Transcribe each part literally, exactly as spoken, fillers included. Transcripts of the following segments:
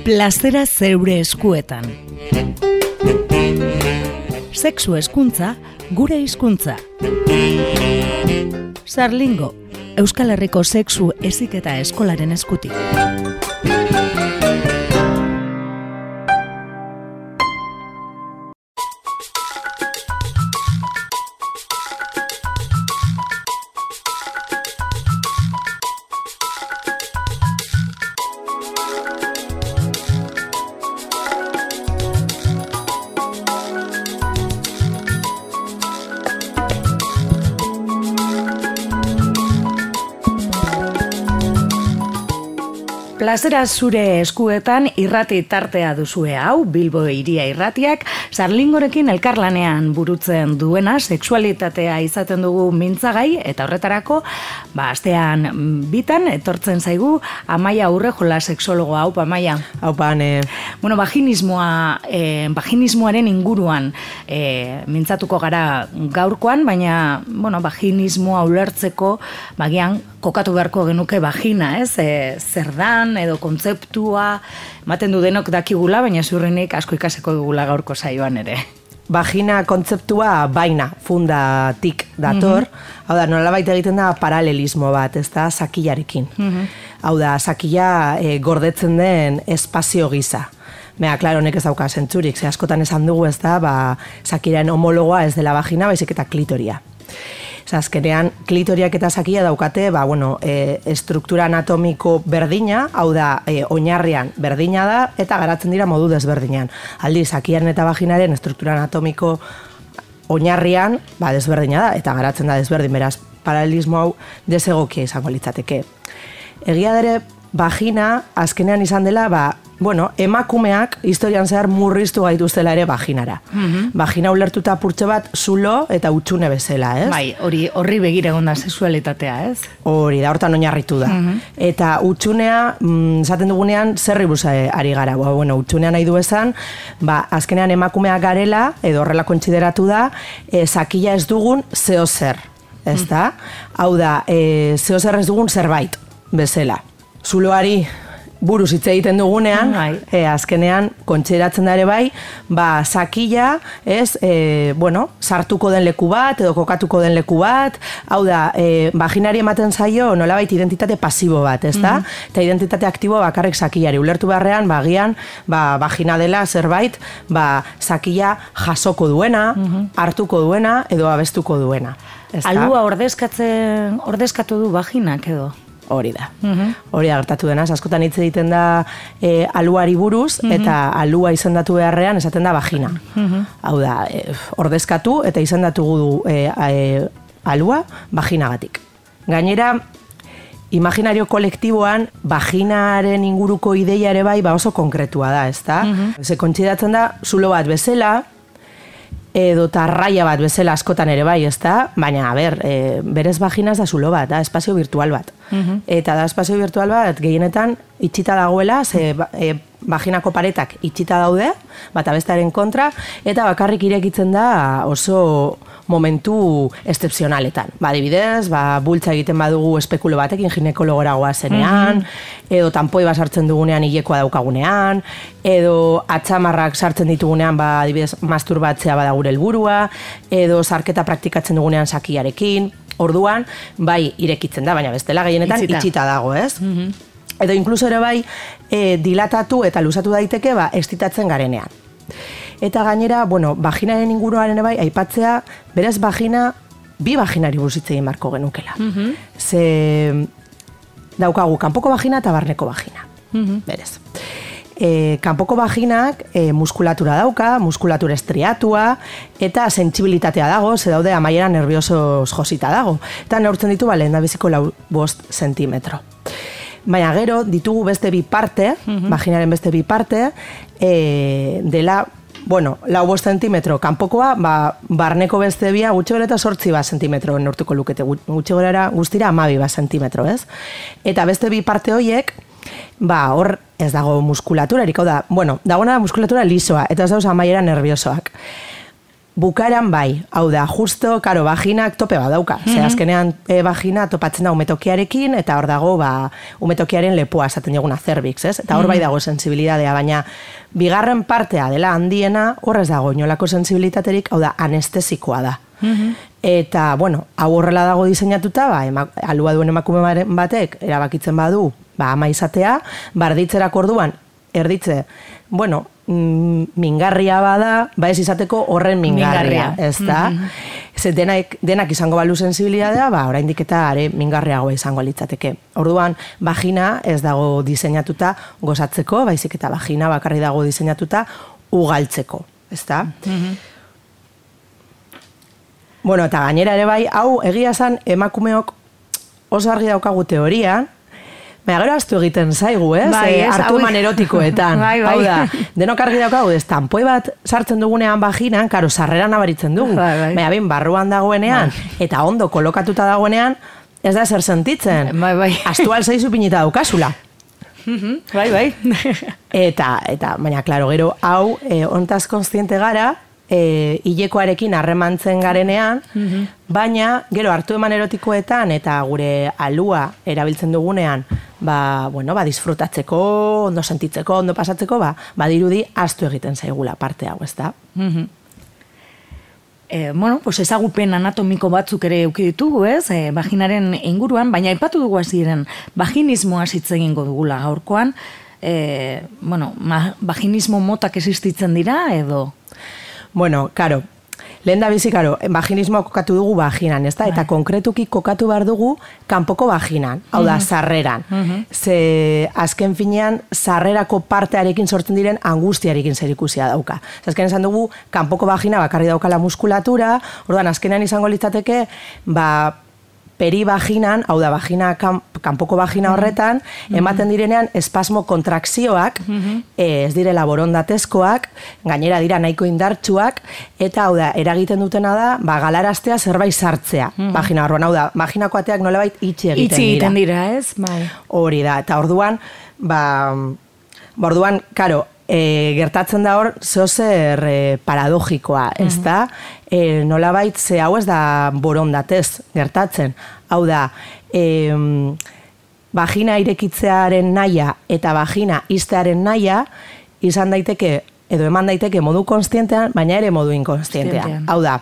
Plazera zeure eskuetan. Sexu hezkuntza, gure hizkuntza. Sarlingo, Euskal Herriko sexu heziketa eskolaren eskutik. Plazera zure eskuetan irrati tartea duzue hau, Bilbo Hiria Irratiak, Sarlingorekin elkarlanean burutzen duena, sexualitatea izaten dugu mintzagai, eta horretarako, ba, astean bitan, etortzen zaigu, Amaia Urrejola sexologoa, haupa, Amaia. Haupa, ne. Bueno, vaginismoa, eh, vaginismoaren inguruan eh, mintzatuko gara gaurkoan, baina, bueno, vaginismoa ulertzeko, bagian, kokatu beharko genuke vagina, ez? E, zer dan, edo kontzeptua, ematen du denok dakigula, baina ziurrenik asko ikaseko dugula gaurko saioan ere. Vagina kontzeptua baina, fundatik dator, mm-hmm. Hau da, nolabait egiten da paralelismo bat, ez da, sakillarekin. Mm-hmm. Hau da, sakilla e, gordetzen den espazio gisa. Mea, klaro, honek ez dauka zentzurik, ze askotan esan dugu, ez da, ba, sakiraren homologoa ez dela vagina, baizik eta klitoria. Azkenean, klitoriak eta sakia daukate, ba, bueno, e, estruktura anatomiko berdina, hau da, e, oinarrian berdina da, eta garatzen dira modu desberdinan. Aldi, sakiaren eta vaginaren estruktura anatomiko oinarrian, ba, desberdina da, eta garatzen da desberdin, beraz, paralelismo hau desegokia izango litzateke. Egia dere, vagina, azkenean izan dela, ba, bueno, emakumeak historian zehar murriztu gaituztela ere vaginara. Mm-hmm. Vagina ulertuta purtxe bat zulo eta utxune bezala, ez? Bai, hori horri begira egon da sexualitatea, ez? Hori da, hortan oinarritu da. Mm-hmm. Eta utxunea, mm, esaten dugunean, zerri buza ari gara. Ba, bueno, utxunea nahi du esan, ba, azkenean emakumeak garela, edo horrela kontsideratu da, e, sakila ez dugun zeo zer, ez da? Mm-hmm. Hau da, e, zeo zer ez dugun zerbait, bezala. Zuloari buruz hitz egiten dugunean, e, azkenean kontsideratzen da ere bai, ba, sakila, ez, e, bueno, sartuko den leku bat, edo kokatuko den leku bat, hau da, e, vaginari ematen zaio nolabait identitate pasibo bat, ez da? Mm-hmm. Eta identitate aktibo bakarrik sakilari. Ulertu beharrean, bagian, ba, vagina dela zerbait, ba, sakila jasoko duena, mm-hmm. hartuko duena, edo abestuko duena. Alua ordezkatzen, ordezkatu du vaginak edo? Hori da. Mm-hmm. Hori da gertatu denaz. Askotan hitz egiten da e, aluari buruz, mm-hmm. eta alua izendatu beharrean esaten da vagina. Mm-hmm. Hau da, e, ordezkatu eta izendatu du e, e, alua vaginagatik. Gainera, imaginario kolektiboan, vaginaren inguruko ideia ere bai, ba oso konkretua da, ez da? Mm-hmm. Ze kontsidatzen da, zulo bat bezala, edo tarraia bat bezala askotan ere bai, ez da? Baina, a ber, e, berez vagina ez da zulo bat, da, espazio virtual bat. Mm-hmm. Eta da, espazio virtual bat, gehienetan, itxita dagoela, ze e, vaginako paretak itxita daude, bata bestearen kontra, eta bakarrik irekitzen da oso momentu excepzionaletan. Ba, adibidez, ba, bultza egiten badugu espekulo batekin ginekologora goazenean, mm-hmm. edo tanpoi bat sartzen dugunean hilekoa daukagunean, edo atzamarrak sartzen ditugunean, ba, adibidez, masturbatzea bada gure helburua, edo sarketa praktikatzen dugunean sakiarekin, orduan, bai, irekitzen da, baina bestela gehienetan itxita, itxita dago, ez? Mm-hmm. Edo inkluso ere bai, e, dilatatu eta luzatu daiteke, ba, estitatzen garenean. Eta gainera, bueno, vaginaren inguruaren bai, aipatzea, berez vagina, bi vaginari buruz hitz egin beharko genukela. Mm-hmm. Ze daukagu kanpoko vagina eta barneko vagina. Mm-hmm. Berez. E, kanpoko vaginak e, muskulatura dauka, muskulatura estriatua, eta sentsibilitatea dago, ze daude amaiera nerviosos josita dago. Eta neurtzen ditu, ba, lehen da biziko lau bost zentimetro. Baina gero, ditugu beste bi parte, mm-hmm. vaginaren beste bi parte, e, dela, bueno, lau bost zentimetro kanpokoa, ba, barneko beste bia gutxi gara eta sortzi bat zentimetro neurtuko lukete, gutxi gara guztira amabi bat zentimetro, ez? Eta beste bi parte horiek, ba, hor ez dago muskulatura, eriko da, bueno, dagoena muskulatura lisoa, eta ez dauz amaiera nerviosoak. bukaeran bai, hau da, justo, karo, vaginak tope badauka. Mm-hmm. Ze azkenean e, vagina topatzen da umetokiarekin, eta hor dago, ba, umetokiaren lepoa esaten diguna cervix, ez? Eta hor mm-hmm. bai dago sensibilidadea, baina bigarren partea dela handiena, horrez dago inolako sensibilitaterik, hau da, anestesikoa da. Mm-hmm. Eta, bueno, hau horrela dago diseinatuta, ba, ema, alua duen emakume batek, erabakitzen badu, ba, ama izatea, barditzerak orduan, erditze, bueno, mingarria bada, ba ez izateko horren mingarria, ez da? Mm-hmm. Ze denak, denak izango balu sensibilidadea, ba, oraindik eta are mingarriagoa izango litzateke. Orduan, vagina ez dago diseinatuta gozatzeko, baizik eta vagina bakarri dago diseinatuta ugaltzeko, ez da? Mm-hmm. Bueno, eta gainera ere bai, hau egia zan emakumeok oso argi daukagu teorian, baina gero aztu egiten zaigu, ez? Bai, ez, hartu eman erotikoetan. Bai, bai. Hau da, denok argi daukagu, ez, tanpoi bat sartzen dugunean vaginan, karo, sarrera nabaritzen dugu. Bai, bai. Baina bin, barruan dagoenean, bai. Eta ondo kolokatuta dagoenean, ez da zer sentitzen. Bai, bai. Astu alzaizu pinita daukazula. Bai, bai. Eta, eta, baina, klaro, gero, hau, eh, ontaz konstiente gara, E, hilekoarekin harremantzen garenean, mm-hmm. baina gero hartu eman erotikoetan eta gure alua erabiltzen dugunean, ba, bueno, ba, disfrutatzeko, ondo sentitzeko, ondo pasatzeko, ba, badirudi astu egiten zaigula parte hau, ez da? Mm-hmm. E, bueno, pues ezagupen anatomiko batzuk ere eduki ditugu, ez? E, vaginaren inguruan, baina aipatu dugu hasieran vaginismoa hitz egingo dugula gaurkoan, e, bueno, ma, vaginismo motak existitzen dira edo? Bueno, karo, lehen da bizi, karo, vaginismoa kokatu dugu vaginan, ez da? Eta konkretuki kokatu behar dugu kanpoko vaginan, hau da, sarreran. Mm-hmm. Ze azken finean, sarrerako partearekin sortzen diren angustiarekin zerikusia dauka. Azken esan dugu, kanpoko vagina bakarri daukala muskulatura, orduan azkenean izango litzateke, ba, perivaginan, hau da, vagina, kan, kanpoko vagina horretan, mm-hmm. ematen direnean espasmo kontrakzioak, mm-hmm. ez direla borondatezkoak, gainera dira nahiko indartsuak, eta hau da, eragiten dutena da, ba, galaraztea zerbait sartzea, mm-hmm. vagina horrean, hau da, vaginako ateak nolabait itxi egiten dira. Itxi egiten dira, ez? Bai. Hori da, eta orduan, ba, orduan, karo, E, gertatzen da hor, zeozer e, paradogikoa, ez da? E, nolabait, ze hau ez da borondatez gertatzen. Hau da, e, vagina irekitzearen naia eta vagina iztearen naia izan daiteke, edo eman daiteke modu konstientean, baina ere modu inkonstientean. Hau da,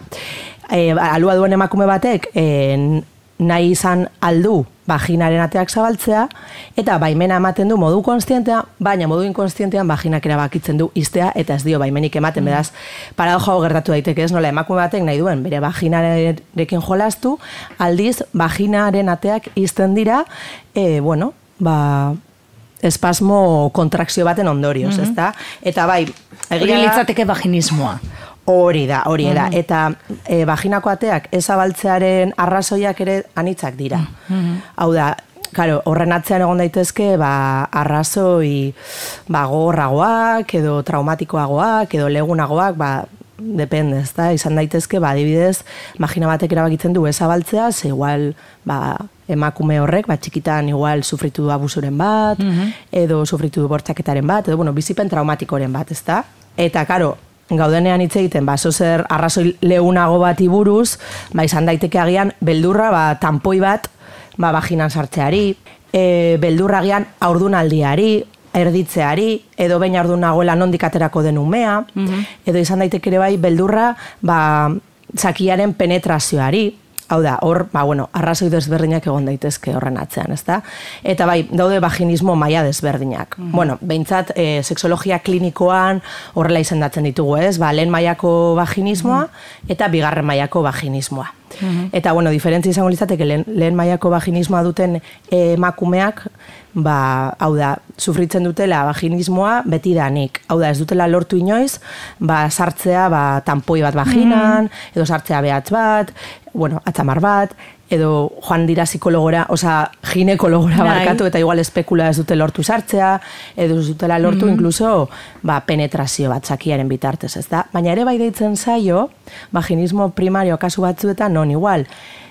e, alua duen emakume batek, e, nahi izan aldu vaginaren ateak zabaltzea, eta baimena ematen du modu konstientean, baina modu inkonstientean vaginak erabakitzen du iztea, eta ez dio baimenik ematen, mm. beraz, paradoja hau gertatu daiteke, ez nola, emakume batek nahi duen, bere vaginarekin jolastu, aldiz, vaginaren ateak izten dira, e, bueno, ba, espasmo kontrakzio baten ondorioz, mm-hmm. ez da? Eta bai, egia litzateke vaginismoa. Hori da, hori da. Mm-hmm. Eta e, vaginako ateak ezabaltzearen arrazoiak ere anitzak dira. Mm-hmm. Hau da, claro, horren atzean egon daitezke, ba, arrazoi ba, gogorragoak, edo traumatikoagoak, edo legunagoak, ba, depende, ez da, izan daitezke, ba, adibidez, vagina batek erabakitzen du ezabaltzea, ze igual, ba, emakume horrek, ba, txikitan igual sufritu du abusuren bat, mm-hmm. edo sufritu du bortxaketaren bat, edo, bueno, bizipen traumatikoren bat, ez da? Eta, karo, gaudenean hitz egiten, ba, zozer arrazoi lehunago bati buruz, ba, izan daiteke agian, beldurra, ba, tanpoi bat, ba, vaginan sartzeari, e, beldurra agian aurdunaldiari, erditzeari, edo behin aurdun nagoela nondik aterako den umea, mm-hmm. edo izan daiteke ere bai, beldurra, ba, zakiaren penetrazioari, hau da, hor, ba, bueno, arrazoi desberdinak egon daitezke horren atzean, ezta? Eta bai, daude vaginismo maila desberdinak. Mm-hmm. Bueno, behintzat, e, sexologia klinikoan horrela izendatzen ditugu, ez? Ba, lehen mailako vaginismoa mm-hmm. eta bigarren mailako vaginismoa. Mm-hmm. Eta, bueno, diferentzia izango litzateke lehen, lehen mailako vaginismoa duten emakumeak, ba, hau da, sufritzen dutela vaginismoa betidanik. Hau da, ez dutela lortu inoiz, ba, sartzea, ba, tanpoi bat vaginan, mm-hmm. edo sartzea behatz bat, bueno, atzamar bat, edo joan dira psikologora, oza, ginekologora barkatu, eta igual espekula ez dute lortu sartzea, edo ez dutela lortu mm-hmm. inkluso, ba, penetrazio bat zakiaren bitartez, ez da? Baina ere bai deitzen zaio, vaginismo primario kasu batzuetan, non igual,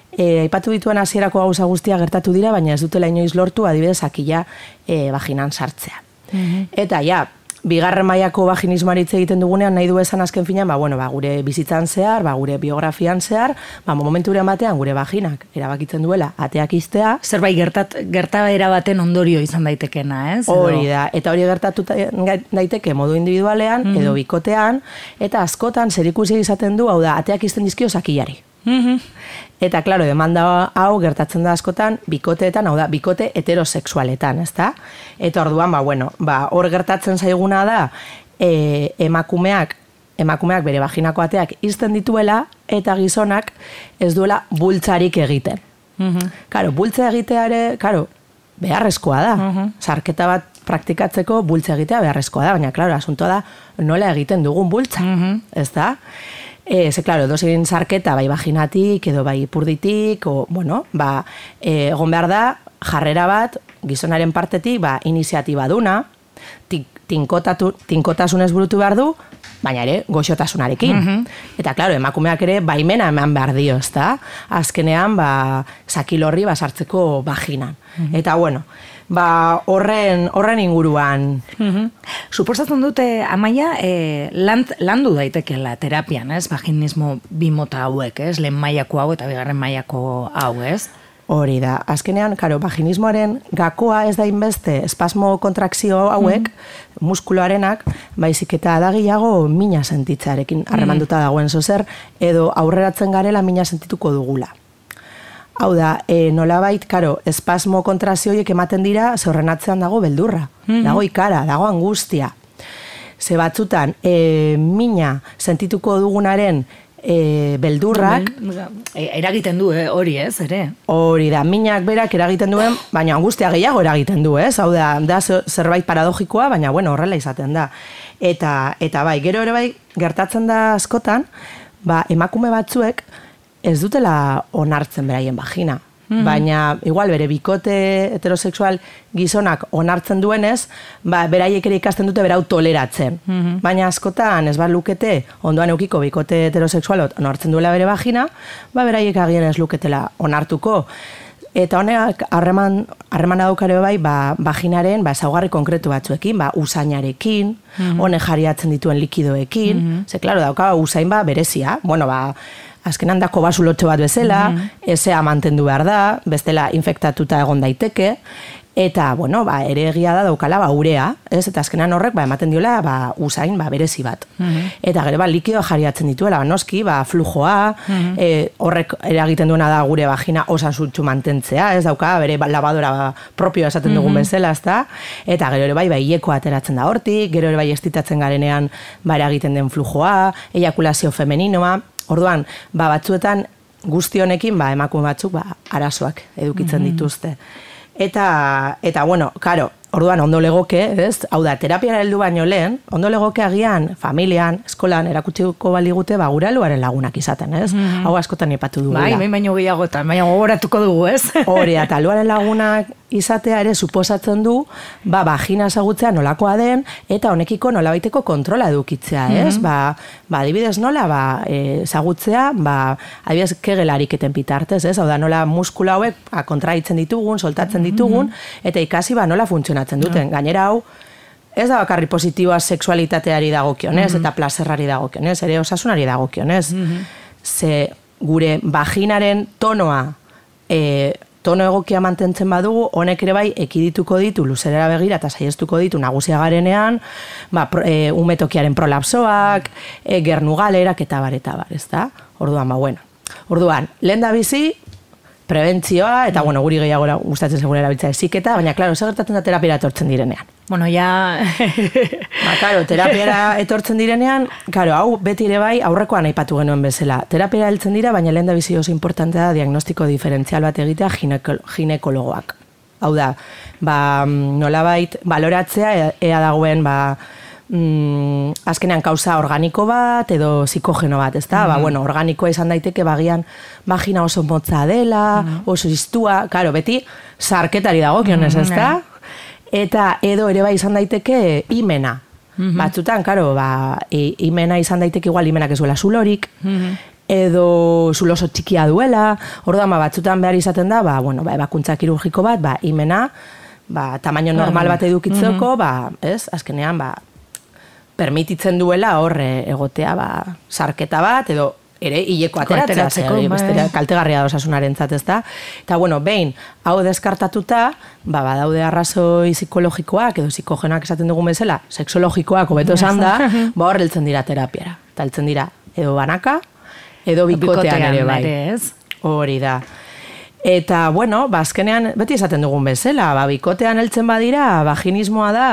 e, aipatu dituen hasierako gauza guztia gertatu dira, baina ez dutela inoiz lortu, adibidez, zakila e, vaginan sartzea. Mm-hmm. Eta ja, bigarren mailako vaginismoari hitz egiten dugunean nahi du esan azken finean, ba, bueno, ba, gure bizitzan zehar, ba, gure biografian zehar, ba, momenturen batean gure vaginak erabakitzen duela ateak iztea. Zerbait gertat, gertaera baten ondorio izan daitekena, ez? Hori da, eta hori gertatu daiteke modu individualean, mm-hmm. edo bikotean, eta askotan zerikusi izaten du, hau da, ateak izten dizkio zakilari. Mm-hmm. Eta, klaro, demanda hau gertatzen da askotan bikoteetan, hau da, bikote heterosexualetan, ezta? Eta orduan, ba, bueno, ba, hor gertatzen zaiguna da, e, emakumeak, emakumeak bere vaginako ateak izten dituela, eta gizonak ez duela bultzarik egiten. Mm-hmm. Karo, bultza egiteare, karo, beharrezkoa da. Mm-hmm. Sarketa bat praktikatzeko bultza egitea beharrezkoa da, baina, klaro, asuntoa da, nola egiten dugun bultza, mm-hmm. ezta? E, ze, klaro, dozein sarketa, bai vaginatik, edo bai ipurditik, o, bueno, ba, e, egon behar da, jarrera bat, gizonaren partetik, ba, iniziatiba duna, tinkotatu, tinkotasunez burutu behar du, baina ere, goxotasunarekin. Mm-hmm. Eta, klaro, emakumeak ere, baimena eman behar dio, ezta? Azkenean, ba, sakilorri basartzeko vaginan. Mm-hmm. Eta, bueno, ba, horren, horren inguruan. Mm-hmm. Suposatzen dute, Amaia, e, land, landu daitekela terapian, ez? Vaginismo bimota hauek, ez? Lehen mailako hau eta bigarren mailako hau, ez? Hori da. Azkenean, karo, vaginismoaren gakoa ez da inbeste espasmo kontrakzio hauek, mm-hmm. muskuloarenak, baizik eta adagiago mina sentitzarekin harremanduta dagoen zozer, edo aurreratzen garela mina sentituko dugula. Hau da, e, nolabait, karo, espasmo kontrazioiek ematen dira, ze horren atzean dago beldurra, mm-hmm. dago ikara, dago angustia. Ze batzutan, e, mina sentituko dugunaren e, beldurrak... Eragiten du, eh, hori ez, ere? Hori da, minak berak eragiten duen, baina angustia gehiago eragiten du, ez? Hau da, da zerbait paradogikoa, baina bueno, horrela izaten da. Eta, eta bai, gero ere bai, gertatzen da askotan, ba, emakume batzuek, ez dutela onartzen beraien vagina. Mm-hmm. Baina, igual, bere bikote heterosexual gizonak onartzen duenez, ba, beraiek ere ikasten dute berau toleratzen. Mm-hmm. Baina askotan, ez bat lukete, ondoan eukiko bikote heterosexualot onartzen duela bere vagina, ba, beraiek agian ez luketela onartuko. Eta honek, harreman, harremana daukare bai, ba, vaginaren, ba, ezaugarri konkretu batzuekin, ba, usainarekin, mm-hmm. honek jariatzen dituen likidoekin, mm-hmm. ze, klaro, dauka, usain, ba, berezia, bueno, ba, azkenan dako basulotxo bat bezala, mm-hmm. ezea mantendu behar da, bestela infektatuta egon daiteke, eta, bueno, ba, ere egia da daukala, ba, urea, ez? Eta azkenan horrek, ba, ematen diola, ba, usain, ba, berezi bat. Mm-hmm. Eta gero, ba, likidoa jariatzen dituela, ba, noski, ba, flujoa, mm-hmm. e, horrek eragiten duena da gure vagina osasutsu mantentzea, ez dauka, bere labadora ba, propioa esaten dugun mm-hmm. bezala, ez da? Eta gero ere bai, ba, hilekoa ateratzen da hortik, gero ere bai estitatzen garenean, ba, eragiten den flujoa, ejakulazio femeninoa. Orduan, ba, batzuetan guzti honekin, ba, emakume batzuk, ba, arazoak edukitzen mm-hmm. dituzte. Eta, eta, bueno, karo, orduan ondo legoke, ez? Hau da, terapiara heldu baino lehen, ondo legoke agian, familian, eskolan, erakutsiko baligute, ba, gure aluaren lagunak izaten, ez? Mm-hmm. Hau askotan ipatu dugula. Bai, baino gehiagotan, baina gogoratuko dugu, ez? Hori, eta aluaren lagunak izatea ere suposatzen du, ba, vagina ezagutzea nolakoa den, eta honekiko nolabaiteko kontrola edukitzea, ez? Mm-hmm. Ba, ba, adibidez nola, ba, ezagutzea, ba, adibidez kegelariketen bitartez, ez? Hau da, nola muskula hauek ba, kontraitzen ditugun, soltatzen ditugun, mm-hmm. eta ikasi, ba, nola funtzionatzen duten. Mm-hmm. Gainera hau, ez da bakarri positiboa sexualitateari dagokionez, mm-hmm. eta plazerrari dagokionez, ere osasunari dagokionez. Mm-hmm. Ze gure vaginaren tonoa, e, tono egokia mantentzen badugu, honek ere bai ekidituko ditu luzerera begira eta saiestuko ditu nagusia garenean, ba, e, umetokiaren prolapsoak, e, gernugalerak eta bar eta bar, ezta? Orduan, ba, bueno. Orduan, lehen da bizi, prebentzioa, eta, bueno, guri gehiago gustatzen segun erabiltza eziketa, baina, klaro, zer gertatzen da terapiara etortzen direnean. Bueno, ja... ba, klaro, terapiara etortzen direnean, klaro, hau beti ere bai aurrekoan aipatu genuen bezala. Terapiara heltzen dira, baina lehen da bizi oso importantea da diagnostiko diferentzial bat egitea gineko, ginekologoak. Hau da, ba, nolabait, baloratzea, ea dagoen, ba, Mm, azkenean kausa organiko bat edo psikogeno bat, ezta? Mm-hmm. Ba, bueno, organikoa izan daiteke bagian vagina oso motza dela, mm-hmm. oso iztua, claro, beti sarketari dagokionez, mm-hmm. ezta? Eta edo ere bai izan daiteke imena. Mm-hmm. Batzutan, claro, ba, imena izan daiteke igual imenak ez duela zulorik, mm-hmm. edo zulo oso txikia duela, orduan ba, batzutan behar izaten da, ba, bueno, ba, ebakuntza kirurgiko bat, ba, imena, ba, tamaino normal bat edukitzeko, mm-hmm. ba, ez, azkenean, ba, permititzen duela horre egotea, ba, sarketa bat, edo ere hileko ateratzea, zer, bestera kaltegarria da osasunarentzat, ez da? Eta, bueno, behin, hau deskartatuta, ba, badaude arrazoi psikologikoak, edo psikogenoak esaten dugun bezala, sexologikoak, hobeto esan da, ba, hor heltzen dira terapiara. Eta heltzen dira, edo banaka, edo bikotean ere bai. Hori da. Eta, bueno, ba, azkenean, beti esaten dugun bezala, ba, bikotean heltzen badira, vaginismoa da,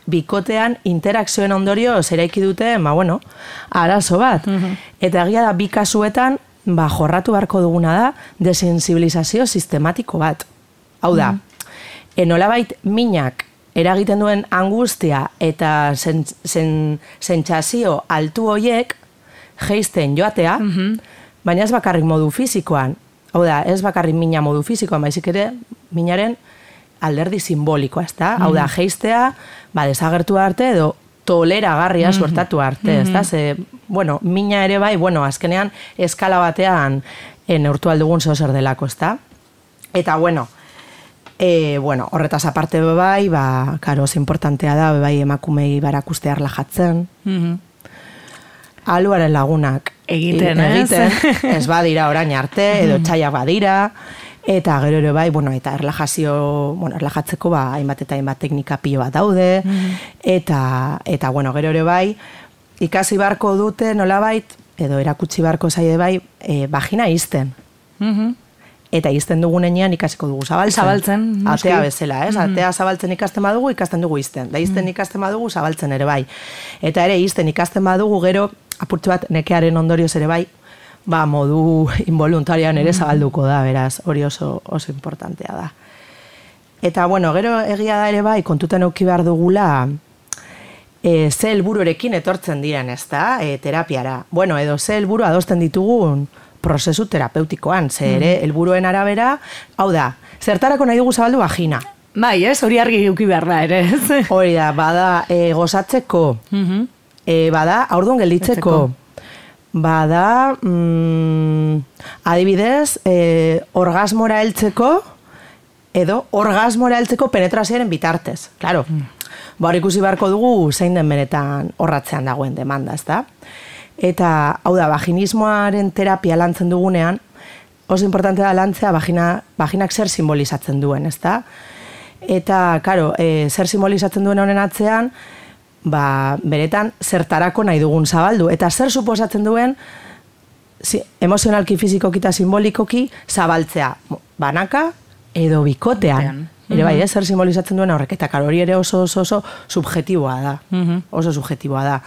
bikotean interakzioen ondorio zeraiki dute, ba, bueno, arazo bat. Mm-hmm. Eta egia da, bi kasuetan, ba, jorratu beharko duguna da, desensibilizazio sistematiko bat. Hau da, mm-hmm. enolabait minak eragiten duen angustia eta sentsazio altu hoiek jeisten joatea, mm-hmm. baina ez bakarrik modu fisikoan. Hau da, ez bakarrik mina modu fisikoan, baizik ere minaren alderdi simbolikoa, ez da? Hau da, jeistea, ba, desagertu arte edo toleragarria mm-hmm. suertatu arte, ez da? Ze, bueno, mina ere bai, bueno, azkenean eskala batean neurtu aldugun zehozer delako, ez da? Eta, bueno, e, bueno, horretaz aparte bai, ba, karo, oso importantea da, bai emakumei barakustea erlajatzen, mm-hmm. aluaren lagunak egiten, egiten ez badira orain arte, edo txaiak badira, eta gero ere bai, bueno, eta erlajazio, bueno, erlajatzeko ba, hainbat eta hainbat teknika pilo bat daude, eta, eta, bueno, gero ere bai, ikasi barko dute nolabait, edo erakutsi barko zaie bai, e, vagina izten. Eta izten dugunean ikasiko dugu zabaltzen. Zabaltzen. Atea bezala, ez? Atea zabaltzen ikasten badugu, ikasten dugu izten. Da izten ikasten badugu, zabaltzen ere bai. Eta ere izten ikasten badugu, gero, apurtxo bat nekearen ondorioz ere bai, ba, modu involuntarian ere zabalduko da, beraz, hori oso, oso importantea da. Eta, bueno, gero egia da ere bai, kontutan euki behar dugula, e, ze helbururekin etortzen diren, ez da, e, terapiara. Bueno, edo ze helburu adosten ditugun, prozesu terapeutikoan, ze ere, helburuen arabera, hau da, zertarako nahi dugu zabaldu vagina. Bai, ez, hori argi euki behar da, ere, ez? Hori da, bada, e, gozatzeko, uh-huh. e, bada, aurduan gelditzeko, bada, mm, adibidez, e, orgasmora heltzeko, edo orgasmora heltzeko penetrazioaren bitartez, claro. Mm. Ba, hori ikusi beharko dugu, zein den benetan horratzean dagoen demanda, ez da? Eta, hau da, vaginismoaren terapia lantzen dugunean, oso importante da lantzea vagina, vaginak zer simbolizatzen duen, ez da? Eta, karo, e, zer simbolizatzen duen honen atzean, ba, beretan, zertarako nahi dugun zabaldu. Eta zer suposatzen duen, si, emozionalki, fizikoki eta simbolikoki, zabaltzea. Banaka edo bikotean. Ere bai, eh, zer simbolizatzen duen horrek. Eta, karo, hori ere oso, oso, oso subjetiboa da. Oso subjetiboa da.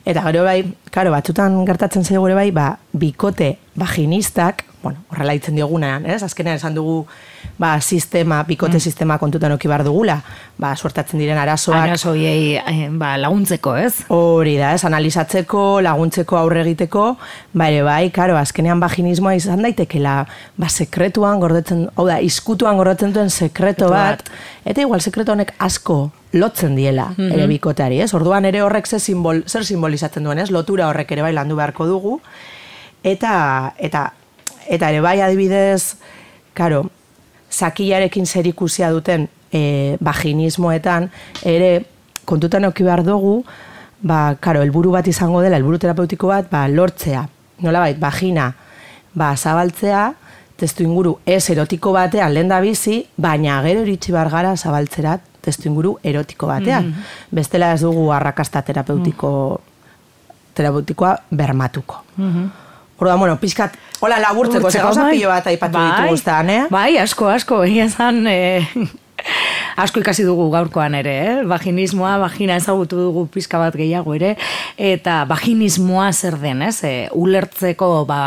Eta gero bai, karo, batzutan gertatzen zaigu ere bai, ba, bikote vaginistak, bueno, horrela hitzen diogunean, ez? Azkenean esan dugu, ba, sistema, bikote mm. sistema kontutan oki behar dugula, ba, suertatzen diren arazoak. Arazoiei, ba, laguntzeko, ez? Hori da, ez? Analizatzeko, laguntzeko, aurre egiteko, ba, ere bai, karo, azkenean vaginismoa izan daitekela, ba, sekretuan gordetzen, hau da, izkutuan gordetzen duen sekreto bat, eta igual sekreto honek asko lotzen diela, mm-hmm. ere bikoteari, ez? Orduan ere horrek zer, simbol, zer simbolizatzen duen, ez? Lotura horrek ere bai landu beharko dugu, eta, eta, eta ere bai adibidez, karo, sakilarekin zer ikusia duten e, vaginismoetan, ere kontutan euki behar dugu, ba, karo, helburu bat izango dela, helburu terapeutiko bat, ba, lortzea, nolabait, vagina, ba, zabaltzea, testu inguru ez erotiko batean lehen da bizi, baina gero iritsi bar gara zabaltzerat testu inguru erotiko batean. Mm-hmm. Bestela ez dugu arrakasta terapeutiko, mm. terapeutikoa bermatuko. Mm-hmm. Orduan, bueno, pixkat, hola laburtzeko, ze gauza pilo bat aipatu bai, ditugu zan, eh? Bai, asko, asko, egia zan, eh, asko ikasi dugu gaurkoan ere, eh? Vaginismoa, vagina ezagutu dugu pixka bat gehiago ere, eta vaginismoa zer den, ez? E, ulertzeko, ba,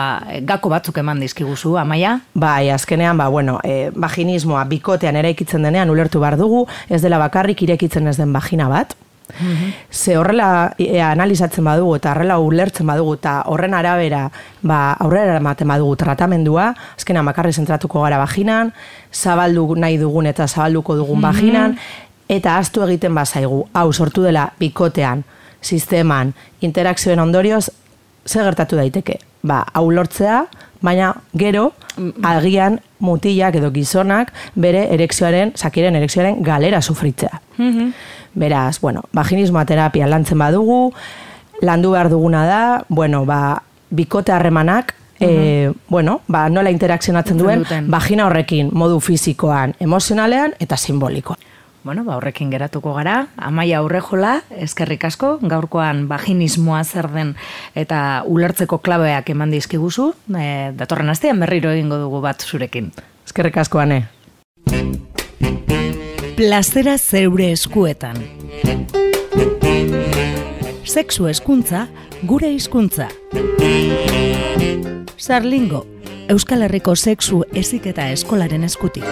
gako batzuk eman dizkiguzu, Amaia? Bai, azkenean, ba, bueno, e, vaginismoa bikotean eraikitzen denean ulertu behar dugu, ez dela bakarrik irekitzen ez den vagina bat, Mm-hmm. Ze horrela e, analizatzen badugu eta horrela ulertzen badugu eta horren arabera ba, aurrera ematen badugu tratamendua, azkenan bakarri zentratuko gara vaginan, zabaldu nahi dugun eta zabalduko dugun mm-hmm. vaginan, eta ahaztu egiten bazaigu, hau sortu dela bikotean, sisteman, interakzioen ondorioz, ze gertatu daiteke? Ba, hau lortzea, baina gero, agian mutilak edo gizonak bere erekzioaren, sakiren erekzioaren galera sufritzea. Mm-hmm. Beraz, bueno, vaginismoa terapia lantzen badugu, landu behar duguna da, bueno, ba, bikote harremanak, uh-huh. e, bueno, ba, nola interakzionatzen duen, vagina horrekin, modu fisikoan, emozionalean eta simbolikoan. Bueno, ba, horrekin geratuko gara, Amaia Urrejola, eskerrik asko, gaurkoan vaginismoa zer den eta ulertzeko klabeak eman dizkiguzu, e, datorren astean berriro egingo dugu bat zurekin. Eskerrik asko, Ane. Plazera zeure eskuetan. Sexu hezkuntza, gure hizkuntza. Sarlingo, Euskal Herriko sexu heziketa eskolaren eskutik.